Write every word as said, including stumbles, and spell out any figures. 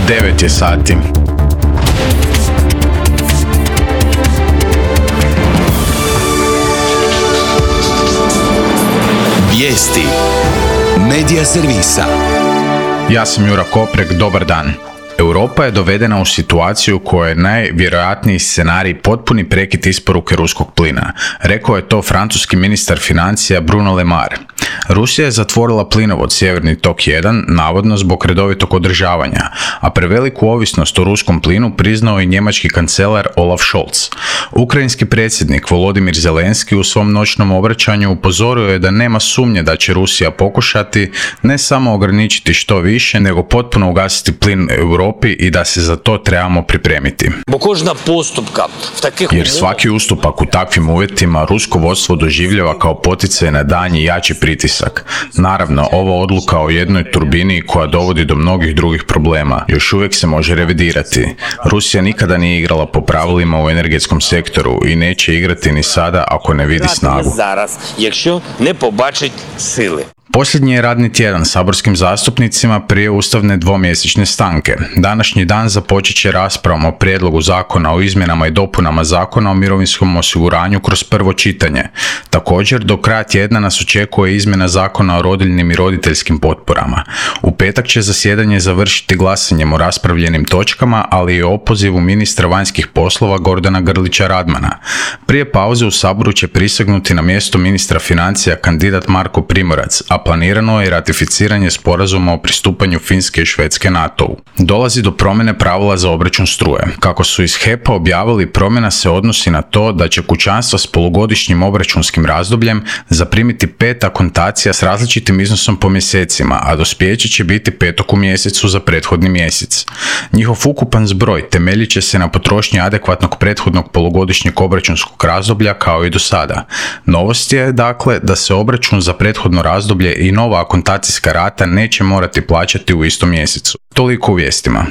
devet je sati. Vijesti Medija servisa. Ja sam Jura Koprek, dobar dan. Europa je dovedena u situaciju u kojoj je najvjerojatniji scenarij potpuni prekid isporuke ruskog plina. Rekao je to francuski ministar financija Bruno Le Maire. Rusija je zatvorila plinovod Sjeverni tok jedan, navodno zbog redovitog održavanja, a preveliku ovisnost o ruskom plinu priznao i njemački kancelar Olaf Scholz. Ukrajinski predsjednik Volodimir Zelenski u svom noćnom obraćanju upozorio je da nema sumnje da će Rusija pokušati ne samo ograničiti što više, nego potpuno ugasiti plin Europi i da se za to trebamo pripremiti. Jer svaki ustupak u takvim uvjetima rusko vodstvo doživljava kao poticaj na daljnji jači pritisak. Naravno, ova odluka o jednoj turbini koja dovodi do mnogih drugih problema još uvijek se može revidirati. Rusija nikada nije igrala po pravilima u energetskom sektoru i neće igrati ni sada ako ne vidi snagu. Posljednji je radni tjedan saborskim zastupnicima prije ustavne dvomjesečne stanke. Današnji dan započet će raspravom o prijedlogu zakona o izmjenama i dopunama zakona o mirovinskom osiguranju kroz prvo čitanje. Također, do kraja tjedna nas očekuje izmjena zakona o rodiljnim i roditeljskim potporama. U petak će zasjedanje završiti glasanjem o raspravljenim točkama, ali i o opozivu ministra vanjskih poslova Gordana Grlića Radmana. Prije pauze u Saboru će prisegnuti na mjesto ministra financija kandidat Marko Primorac, a planirano je ratificiranje sporazuma o pristupanju Finske i Švedske NATO-u. Dolazi do promjene pravila za obračun struje. Kako su iz H E P-a objavili, promjena se odnosi na to da će kućanstva s polugodišnjim obračunskim razdobljem zaprimiti pet akontacija s različitim iznosom po mjesecima, a dospijeće će biti petog u mjesecu za prethodni mjesec. Njihov ukupan zbroj temeljit će se na potrošnji adekvatnog prethodnog polugodišnjeg obračunskog razdoblja kao i do sada. Novost je, dakle, da se obračun za prethodno razdoblje i nova akontacijska rata neće morati plaćati u istom mjesecu. Toliko u vijestima.